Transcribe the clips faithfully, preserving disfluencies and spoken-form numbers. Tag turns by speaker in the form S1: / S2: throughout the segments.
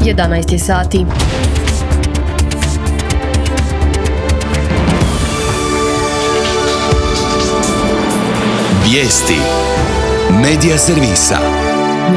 S1: jedanaest je sati.
S2: Vijesti Medija servisa.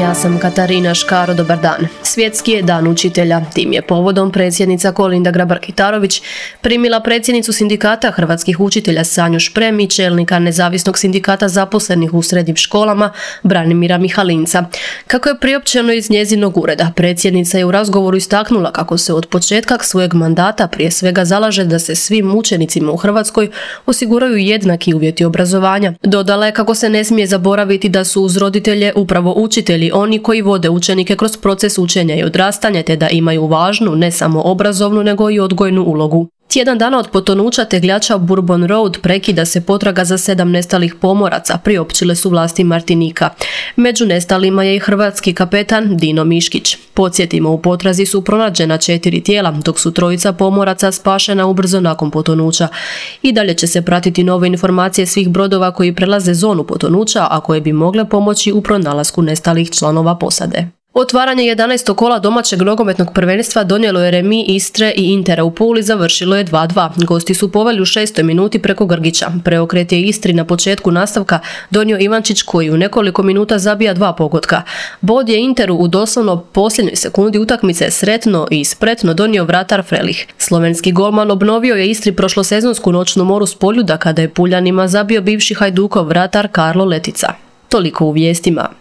S1: Ja sam Katarina Škaro, dobar dan. Svjetski je dan učitelja. Tim je povodom predsjednica Kolinda Grabar-Kitarović primila predsjednicu sindikata hrvatskih učitelja Sanju Šprem i čelnika nezavisnog sindikata zaposlenih u srednjim školama Branimira Mihalinca. Kako je priopćeno iz njezinog ureda, predsjednica je u razgovoru istaknula kako se od početka svojeg mandata prije svega zalaže da se svim učenicima u Hrvatskoj osiguraju jednaki uvjeti obrazovanja. Dodala je kako se ne smije zaboraviti da su uz roditelje upravo učitelji oni koji vode učenike kroz proces učenja i odrastanja, te da imaju važnu ne samo obrazovnu nego i odgojnu ulogu. Tjedan dana od potonuća tegljača Bourbon Road prekida se potraga za sedam nestalih pomoraca, priopćile su vlasti Martinika. Među nestalima je i hrvatski kapetan Dino Miškić. Podsjetimo, u potrazi su pronađena četiri tijela, dok su trojica pomoraca spašena ubrzo nakon potonuća. I dalje će se pratiti nove informacije svih brodova koji prelaze zonu potonuća, a koje bi mogle pomoći u pronalasku nestalih članova posade. Otvaranje jedanaestog kola domaćeg nogometnog prvenstva donijelo je remi Istre i Intera u Puli, završilo je dva dva. Gosti su poveli u šestoj minuti preko Grgića. Preokret je Istri na početku nastavka donio Ivančić, koji u nekoliko minuta zabija dva pogotka. Bod je Interu u doslovno posljednjoj sekundi utakmice sretno i spretno donio vratar Frelih. Slovenski golman obnovio je Istri prošlosezonsku noćnu moru s Poljuda kada je Puljanima zabio bivši Hajdukov vratar Karlo Letica. Toliko u vijestima.